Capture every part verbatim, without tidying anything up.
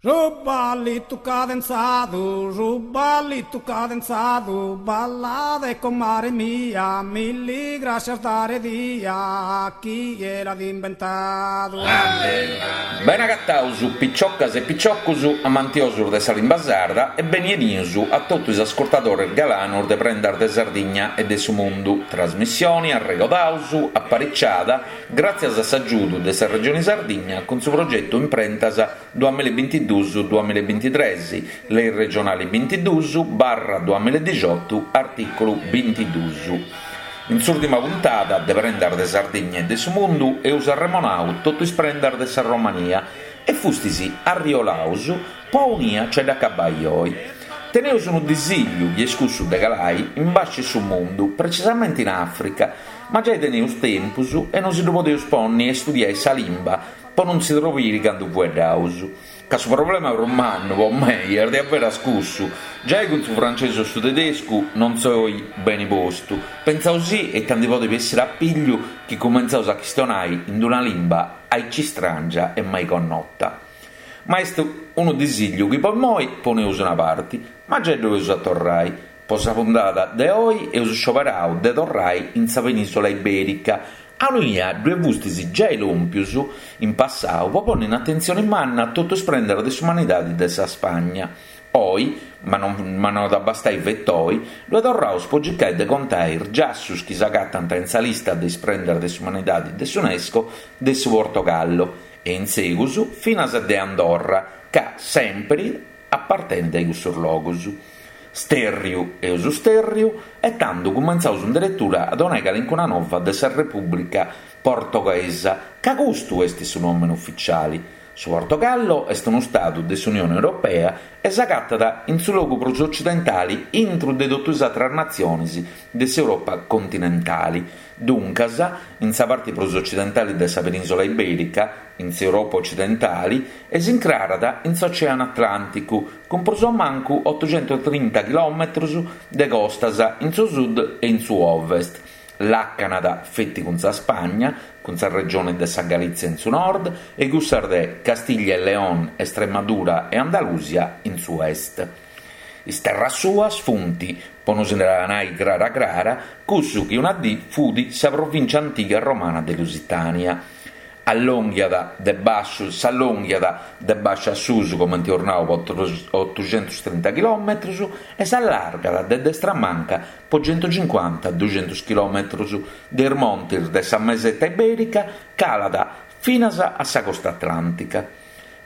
Su ballitu cadenzadu, su ballitu cadenzadu, ballade comare mia, milli grascias dare dia, chie l'at imbentadu. Bene agataus picioccas e picioccus amantiosus de sa limba sarda e beni 'enius a totu is ascurtadores galanos de Prendas de Sardigna e de su Mundu, trasmissioni, arregodaus, apariciada gràtzias a s'agiudu de sa Regioni Sardigna cun su progetu Imprentas duamilla e bintiduus duamilla e bintitres, Lei regionali bintiduus barra duamilla e dixiotu, artìculu bintiduus. In s'ùrtima puntada de Prendas de Sardigna e de su Mundu eus arremonau totu is prendas de sa Romania e fustis arriolaus po aunia nc'est de acabai oi. Teneus unu disìlliu chi est cussu de calai in basci su mundu, precisamenti in Àfrica, ma giai teneus tempus e no si ddu podeus ponni a istudiai sa limba po non si trobiri candu fueddaus. Ca su problema prus mannu po mei est diaveras cussu, giai cun su francesu o su tedescu non soi beni postu, pentzausì ita ndi podit bessiri a pigliu chi cumentzaus a chistionai in una limba aici stràngia e mai connota. Ma est unu disìlliu chi po immoi poneus una parti, ma giai ddu eus a torrai. Po sa puntada de oi eus scioberau de torrai in sa penìsula ibèrica, aunia ddue fustis giai lòmpius in passau po ponni in atentzioni manna totu is prendas de s'umanidadi de sa Spagna. Oi, ma non ma no at a bastai feti oi, ddue torraus po circai de contai is giassus chi s'agatant in sa lista de is prendas de s'umanidadi de s'UNESCO de su Portogallo e in segus finas de Andorra, ca sèmpiri apartenint a cussus logus. Stèrriu eus stèrriu e tando cumentzaus in deretura a donai calincuna nova de sa Repùblica Portoghesa, ca custu est su nòmene ufitziali. Su Portogallo est unu stadu de s'Unione Europea e s'agatat in su logu prus ocidentali intru de totu is àteras natziones de s'Europa continentali. Duncas, in sa parti prus ocidentali de sa penìsula ibèrica, in s'Europa ocidentali, e s'incrarat in s'Oceanu Atlànticu, cun prus o mancu otoxentutrinta chilòmetros de costas in su sud e in su ovest. Làcanat feti cun sa Spagna, cun sa regione de sa Galìtzia in su nord e cussas de Castiglia e León, Estremadura e Andalusia in su est. Is terras suas funt, po nos dda nai crara crara, cussu chi una dì fut sa provìncia antiga romana de Lusitània. Allonghiat de basciu s'allonghiat de basciu a susu, comenti eus nau, po otoxentustrinta chilòmetrus e s'allargat de destra a manca po centucincuanta duxentus chilòmetrus, de is montis de sa Meseta Ibèrica calat finas a sa costa atlàntica.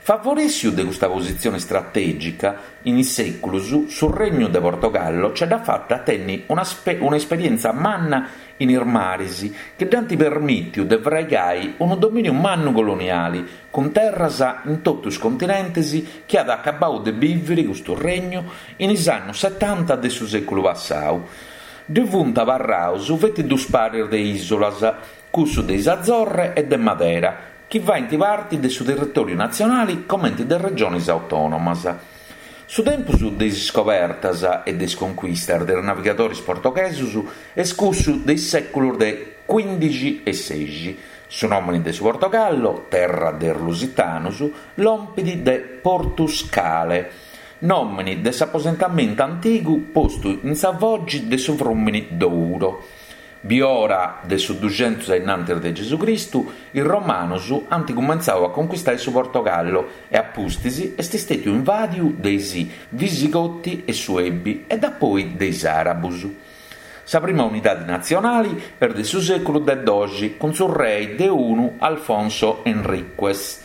Favorèssiu de custa positzione istratègica, in is sèculos su Regnu de Portogallo ce dd'at fata a tenni un'esperièntzia manna in is maris chi dd'ant permìtiu de fraigai unu domìniu mannu coloniali cun terras in totu is continentes chi at acabau de bìviri custu regnu in is annos setanta de su sèculu passau. Ddi funt abarraus feti dus paris de ìsulas, cussu de is Azorre e de Madera, chi faint parti de su territòriu natzionali comenti de regiones autònomas. Su tempus de is iscobertas e de is conquistas de is navigadores portoghesos est cussu de is sèculos de cuìndixi e sexi. Su nòmene de su Portogallo, terra de is lusitanos, lompit de Portus Cale, nòmene de s'aposentamentu antigu postu in sa fogi de su frùmene Douro. Biora de su duxentus a innantis de Gesù Cristu, is Romanos ant cumentzau a conquistai su Portogallo e a pustis est istètiu invàdiu de is Visigoti e Suebi e dapoi de is Àrabus. Sa prima unidadi natzionali est de su sèculu de doxi cun su rei de unu Alfonso Henriques.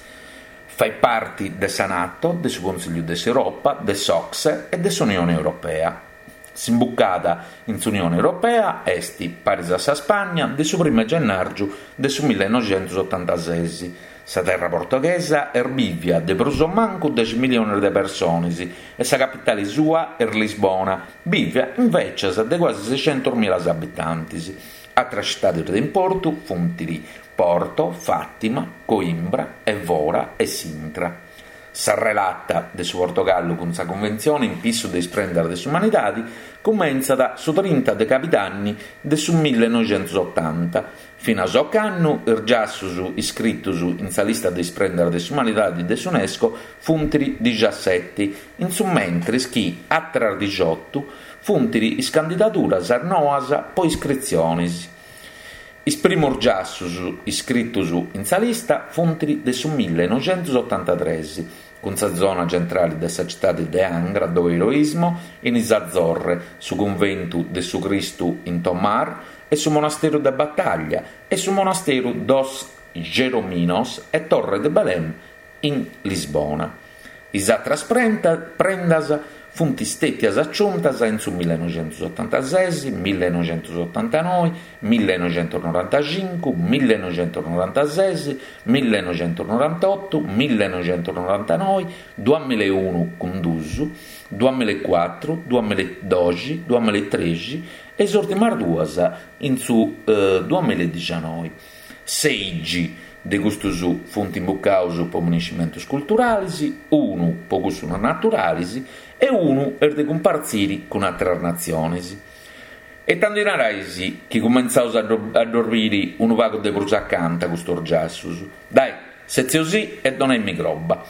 Fait parti de sa Nato, de su Consìgliu de s'Europa, de s'Ocse e de s'Unione Europea. S'imbucada in s'Unione Europea est, paris a sa Spagna, de su primu 'e gennàrgiu de su millenoixentusotantases. Sa terra portoghesa est bìvia de prus o mancu dexi milliones de persones e sa capitale sua est Lisbona, bìvia invècias de cuasi seixentus milas abitantes. Àteras citades de importu funt Porto, Fàtima, Coimbra, Evora e Sintra. Sa relata de su Portogallu cun sa Cunventzione in pissu de is prendas de s'umanidade cumentzat su trinta de cabidanni de su millenoixentosotanta. Finas a ocannu is giassos iscritos in sa lista de is prendas de s'umanidade de s'UNESCO funt diciasseti, in su mentres chi àteras diciotto funt is candidaduras noas pro iscritziones. Is primos giassos iscritos in sa lista funt de su millenoixentosotantatrès, cun sa zona centrale de sa tzitade de Angra do Heroísmo in is Azzorre, su cunventu de su Cristu in Tomar e su monasteru de Batalha e su monasteru dos Jerónimos e Torre de Belém in Lisbona. Is àteras prendas funt istètias aciuntas in su millenoixentosotantases, millenoixentosotantanoe, millenoixentonorantacincu, millenoixentonorantases, millenoixentonorantotu, millenoixentonorantanoe, duamillaunu cun dus, duamillacuatru, duamilladoxi, duamillatrexi e is ùrtimas duas in su duamilladixinoe. Seixi de custos funt imbucados pro minescimentos culturales, unu pro cussos naturales e unu est de cumpartzire cun àteras natziones. E tando narais chi cumentzaus a ddos bìdere unu pagu de prus acanta custos giassos. Dai, setzeosì e donaimi croba.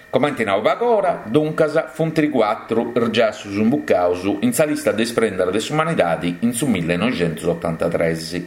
Comente nau pagora, duncas, funt cuatru is giassos imbucados in sa lista de is prendas de s'umanidade in su millenoixentosotantatrès.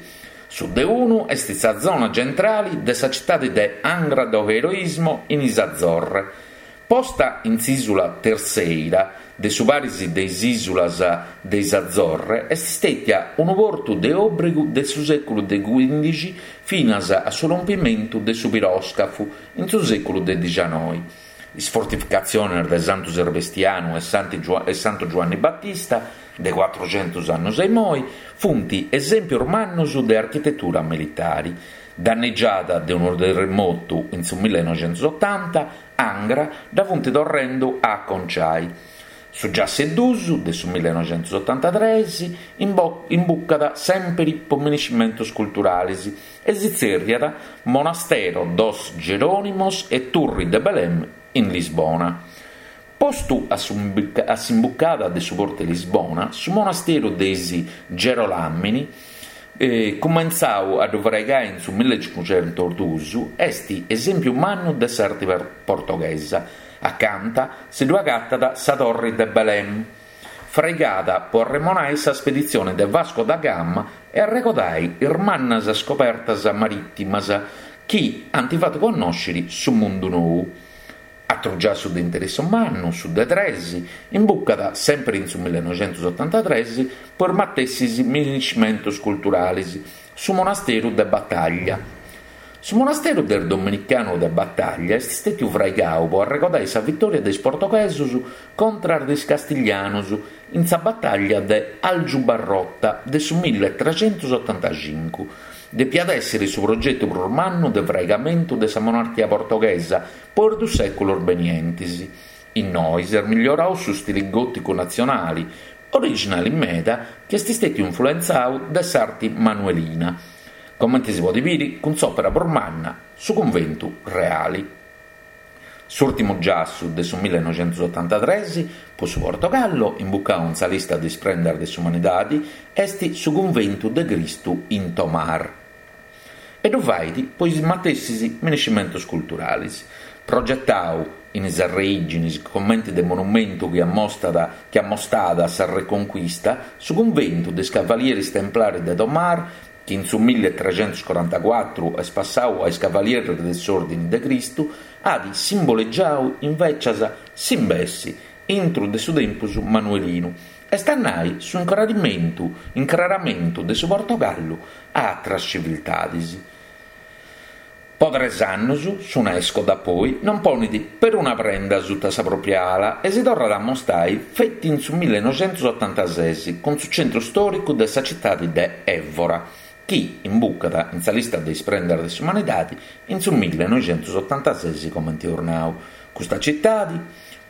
Su de unu est sa zona centrale de sa tzitade de Angra do Heroísmo in is Azzorre. Posta in s'ìsula Terceira de su paris de is ìsulas de is Azzorre, est istètia unu portu de òbrigu de su sèculu de quìndixi finas a su rompimentu de su piròscafu in su sèculu de dicianoe. Is fortificatziones de Santu Sebastianu e Santu Giuanni Battista, de cuatruxentos annos a imoi, funt esèmpios mannos de architetura militare. Danneggiada de unu terremotu in su millenoixentosotanta, Angra dda funt torrendo a aconciai. Su giassu dus de su millenoixentosotantatrès imbucat sempre pro minescimentos culturales e si tzèrriat Monastero dos Jerónimos e Torre de Belém in Lisbona. Postu a s'imbucada de su portu de Lisbona, su monasteru de is Gerolamini, eh, cumentzau a ddu fraigai in su millecincuxentos est esèmpiu mannu de s'arte portoghesa. Acanta si ddu agatat sa Torre de Belém, fraigada pro arremonai sa speditzione de Vasco da Gama e arregodai is mannas scobertas marìtimas chi ant fatu connòschere su mundu nou. Atru giassu de interessu mannu, su de tres, imbucat sempre in su millenoixentosotantatrès pro is matessis minescimentos culturales, su monasteru de Batalha. Su monasteru del Dominicano de Batalha est istètiu fraigau pro arregodai sa vitòria de is portoghesos contra de is castiglianos in sa batalla de Aljubarrota de su milletrecentosottantacincu. Depiat èssere su progetu prus mannu de fraigamentu de sa monarchia portoghesa pro is duos sèculos benientes. Innoi s'est miglioradu su stile gòticu natzionale, originale meda, chi est istètiu influentzadu de s'arte manuelina. Comente si podet bìdere cun s'òpera prus manna, su cunventu reale. S'ùrtimu giassu de su millenoixentosotantatrès pro su Portogallo, imbucadu in sa lista de is prendas de s'umanidade, est su cunventu de Cristu in Tomar. E ddu fait pro is matessis minescimentos culturales. Progetadu in is arreìgines comente de monumentu chi ammostat chi ammostat sa Reconquista, su cunventu de is Cavalieris Templares de Tomar, chi in su milletrecentoscorantacuatru est passadu a is Cavalieris de s'Òrdine de Cristu, at simbolegiadu invecias s'imbessi intro de su tempus manuelinu, est a nai su incraramentu, incraramentu de su Portogallu a àteras civiltades. Po tres annos s'UNESCO dapoi non ponet peruna prenda sutta sa propria ala e si torrat a ammostai feti in su millenoixentosotantases cun su centru storicu de sa tzitade de Évora, chi imbucat in sa lista de is prendas de s'umanidade in su millenoixentosotantases comente eus nau. Custa tzitade,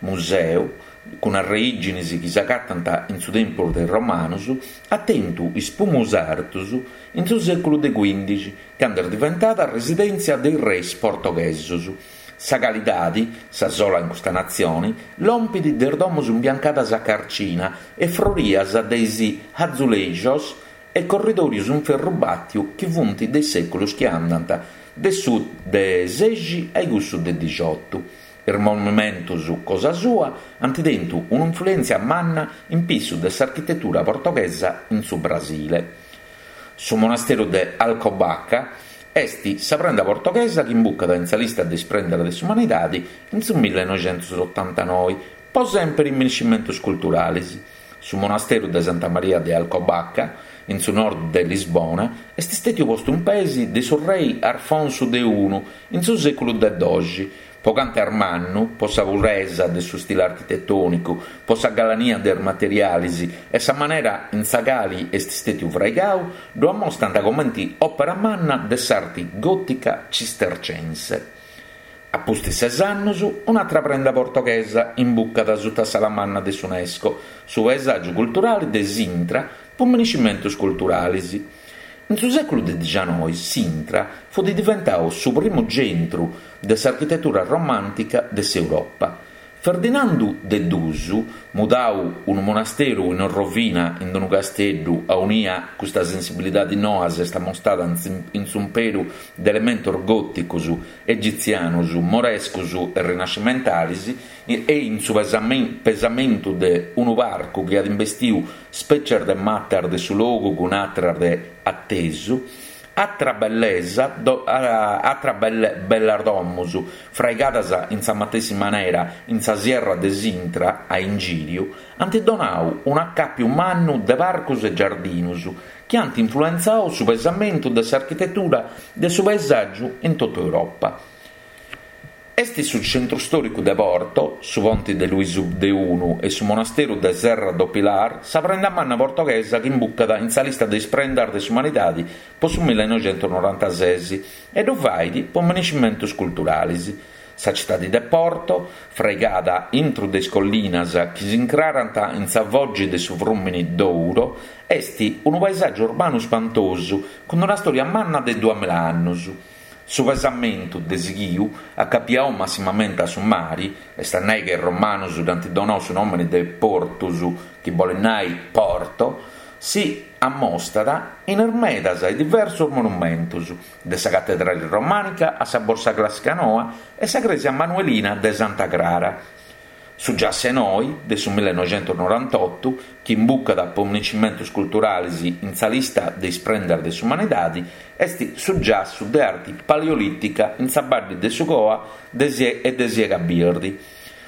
museu, cun arreìgines chi s'agatant in su tempus de is Romanos, at tentu is primos artos in su sèculu de quìndixi, cando est diventada residèntzia de is reis portoghesos. Sa calidadi, sa sola in custa natzioni, lompit de is domus imbiancadas a carcina e frorias de is azulejos e corridòrios in ferru bàtiu chi funt de is sèculos chi andant de su de sexi a cussu de dixiotu. Is monumentos cosa sua ant tentu un'influèntzia manna in pissu de s'architetura portoghesa in su Brasile. Su monasteru de Alcobaça est sa prenda portoghesa chi imbucat in sa lista de is prendas de s'umanidade in su millenoixentosotantanoe, po semper minescimentos culturales. Su monasteru de Santa Maria de Alcobaça, in su nord de Lisbona, est istètiu postu in pees de su rei Arfonsu de unu in su sèculu de doxi, po cantu est mannu, po sa puresa de su stile architetònicu, po sa galania de is materiales e sa manera in sa cale est istètiu fraigadu, ddu ammostrant comente òpera manna de s'arte gòtica cistercense. A pustis ses annos, un'àtera prenda portoghesa imbucat suta s'ala manna de s'UNESCO, su paesàgiu culturale de Sintra po minescimentos culturales. In su sèculu de dicianoi, Sintra fut diventadu su primu centru de s'architetura romàntica de s'Europa. Ferdinandu de dus, mudadu unu monasteru in rovina in unu casteddu aunia custa sensibilidade noa s'est ammostrada in s'imperu de elementos gòticos, egitzianos, morescos e rinascimentales e in su pesamentu de unu parcu chi at imbestidu spècies de matas de su logu cun àteras de atesu, Atra bellesa, atra bellas domos, fraigadas in sa matessi manera in sa Sierra de Sintra a ingìriu, ant donadu un'acàpiu mannu de parcos e giardinos chi ant influentzadu su pesamentu de s'architetura de su paesàgiu in totu Europa. Est su centru stòricu de Porto, su ponte de Luisu de unu e su monasteru de Serra do Pilar sa prenda manna portoghesa chi imbucat in sa lista de is prendas de s'umanidade po su millenoixentonorantases e ddu fait po minescimentos culturales. Sa citade de Porto, fraigada intro de is collinas chi s'incrarant in sa foge de su frùmene Douro, est unu paesàgiu urbanu spantosu cun una stòria manna de duamilla annos. Su pesamentu de sighiu, acapiadu massimamente a su mare, est a nai chi is romanos dd'ant donadu su nòmene de Portus, chi bolet nai Porto, si ammostrat in is medas e diversos monumentos, de sa catedrale romànica a sa Borsa Clàssica Noa e sa crèsia manuelina de Santa Crara. Su giassu 'e noi, de su millenoixentonorantotto, chi imbucat po minescimentos culturales in sa lista de is prendas de s'umanidade, est su giassu de arte paleolìtica in sa badde de su Coa e de Siega Birdi.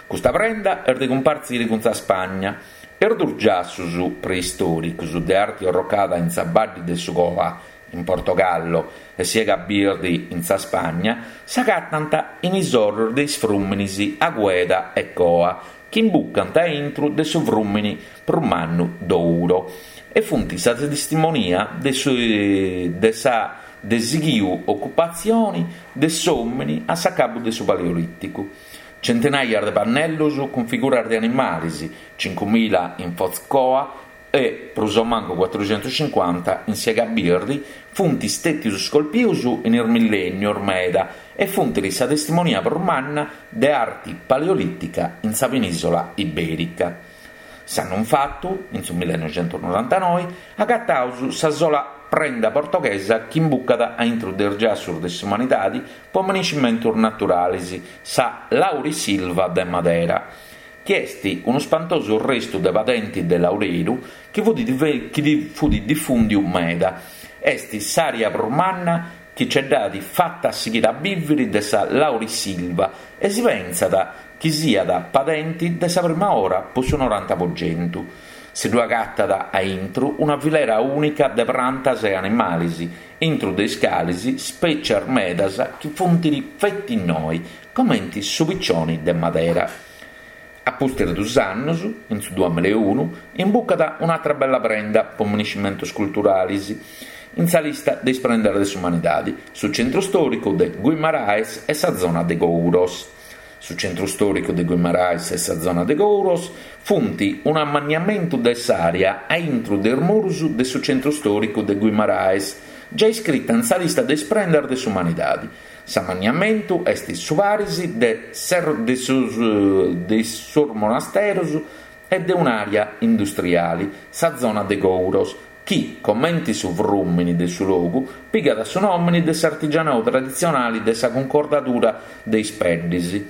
Custa prenda est de cumpartzire cun sa Spagna. Is duos giassos preistòricos de arte orrocada in sa badde de su Coa, in Portogallo, e Siega Birdi in sa Spagna, s'agatant in is oros de is frùmenes Agueda e Coa, chi imbucant a intro de su frùmene prus mannu Douro, e funt sa testimonia de, su, de sa de sighiu ocupatzione de s'òmine a s'acabu de su Paleolìticu. Centenaias de pannellos cun figuras de animales, cincuemila in Foz Coa e prus o mancu cuatruxentocincuanta in Siega Birdi, funt istètios scolpidos in is millènnios meda e funt sa testimonia prus manna de arte paleolìtica in sa penìsola ibèrica. S'annu fatu, in su millenoixentonorantanoe, agataus sa sola prenda portoghesa chi imbucat a intro de is giassos de s'umanidade po minescimentos naturales, sa Laurisilva de Madera, chi est unu spantosu restu de padente de laureru chi fut, chi fut difùndiu meda. Est s'àrea prus manna chi ce dd'at fata a sighire a bìvere de sa Laurisilva e si pensat chi siat padente de sa prima ora po su noranta po chentu. Si ddu agatat a intro una filera ùnica de prantas e animales, intro de is cales spècies medas chi funt feti innoi, comente su piccione de Madera. A pustis dus annos, in su duamilla e unu, imbucat un'àtera bella prenda po minescimentos culturales in sa lista de is prendas de s'umanidade, su centru stòricu de Guimarães e sa zona de Couros. Su centru stòricu de Guimarães e sa zona de Couros funt un'ammanniamentu de s'àrea a intro de is muros de su centru stòricu de Guimarães, già iscrita in sa lista de is prendas de s'umanidade. S'amanniamentu est su paris de de sos de sos monasteros e de un'àrea industriale, sa zona de Gouros, chi, comente su frùmene de su logu, pigat su nòmene de s'artigianadu traditzionale de sa cuncordadura de is peddes.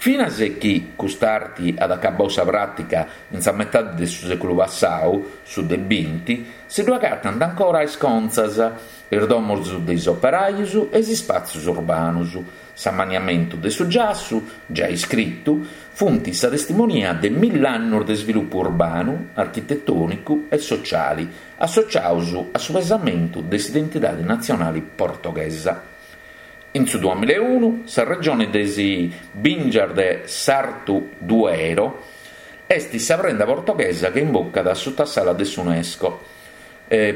Finas chi cust'arte at acabadu sa pràtica in sa metade de su sèculu passadu, su de binti, si ddu agatant ancora is contzas, is domos de is operajos e is ispàtzios urbanos. S'amanniamentu de su giassu, giai iscritu, funt sa testimonia de milla annos de isvilupu urbanu, architetònicu e sociale, associados a su pesamentu de s'identidade natzionale portoghesa. In su duamilla e unu, sa regione de is bìngias de s'Artu Duero est sa prenda portoghesa chi imbucat suta s'ala de s'UNESCO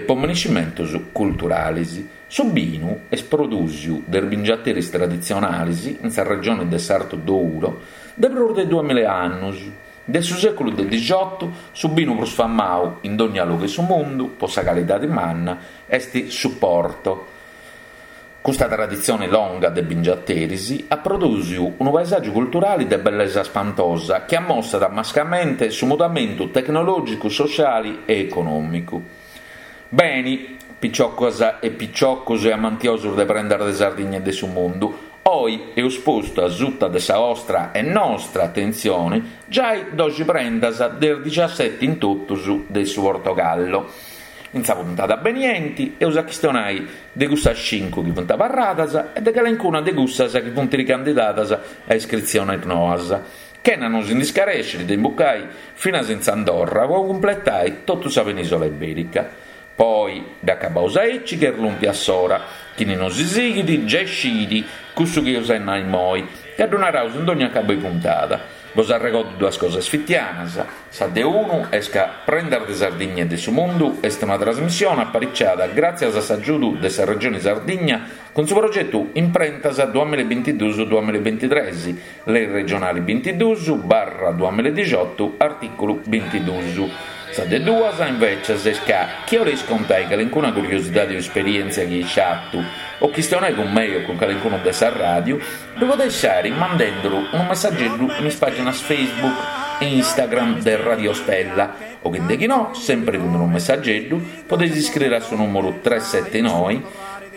po menescimentos culturales. Su binu est prodùsiu de is bingiateris traditzionales in sa regione de s'Artu Douro de prus de duamilla annos. De su sèculu de dixiotu, su binu prus famadu in dogna logu de su mundu, po sa calidade manna, est su Porto. Custa traditzione longa de bingiateris at prodùsiu unu paesàgiu culturale de bellesa spantosa chi ammostrat mascamente su mudamentu tecnològicu, sociale e econòmicu. Beni, piciocas e piciocos e amantiosos de Prendas de Sardigna e de su mundu, oi eus postu a suta de sa ostra e nostra atentzione giai doxi prendas de is diciaseti in totus de su Portogallo. In sa puntada benienti eus a chistionai de cussas cincu chi funt abarradas e de calencuna de cussas chi funt ricandidadas a iscritziones noas, chena nos ndi scarèscere de imbucai finas in s'Andorra po cumpletai totu sa penisola iberica. Poi dd'acabaus aici chi est lùmpia s'ora, chini nos sighit giai scit cussu chi eus a nai immoi, ca ddu naraus in dogna acabu 'e puntada. Bos arregordo duas cosas fitianas. Sa de unu est ca Prendas de Sardigna e de su Mundu est una trasmissione apariciada gràtzias a s'agiudu de sa Regione Sardigna cun su progetu Imprentas duamilla e bintiduus duamilla e bintitres, Lei regionale bintiduus barra duamilla e dixiotu, artìculu bintiduus. Sa de duas, invècias, est ca chi 'oleis contai calencuna curiosidade o esperièntzia chi eis fatu o chistionai cun mei o cun calencunu de sa ràdiu, ddu podeis fàere mandenduru unu messageddu in is pàginas Facebook e Instagram de Radio Stella o chi de chi no, sempri cun unu messageddu, podeis iscriere a su nùmeru tres sete noi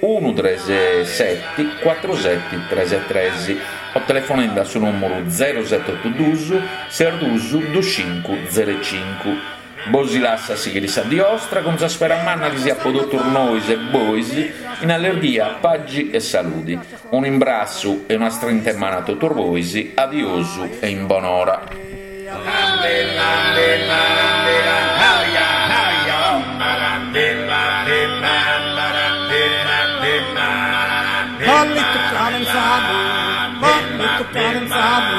unu tres seti cuatru seti tres tres o telefonende a su nùmeru zero sete otu duus ses duus dus cincu zero cincu. Bos lasso a sighire sa die ostra cun sa spera manna chi siat po totus nois e bois in allerghia, pagi e saludi. Unu imbrassu e una strinta 'e manu a totus bois, adiosu e in bonora. Ballito cadenzado, ballito cadenzado,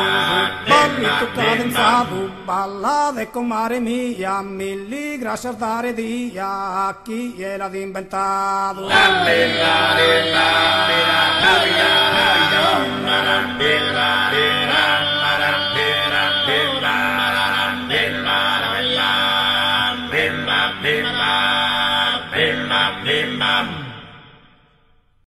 ballito cadenzado, balla de comare mia, mil gracias dare dia a chi l'ha inventado. Bella, bella,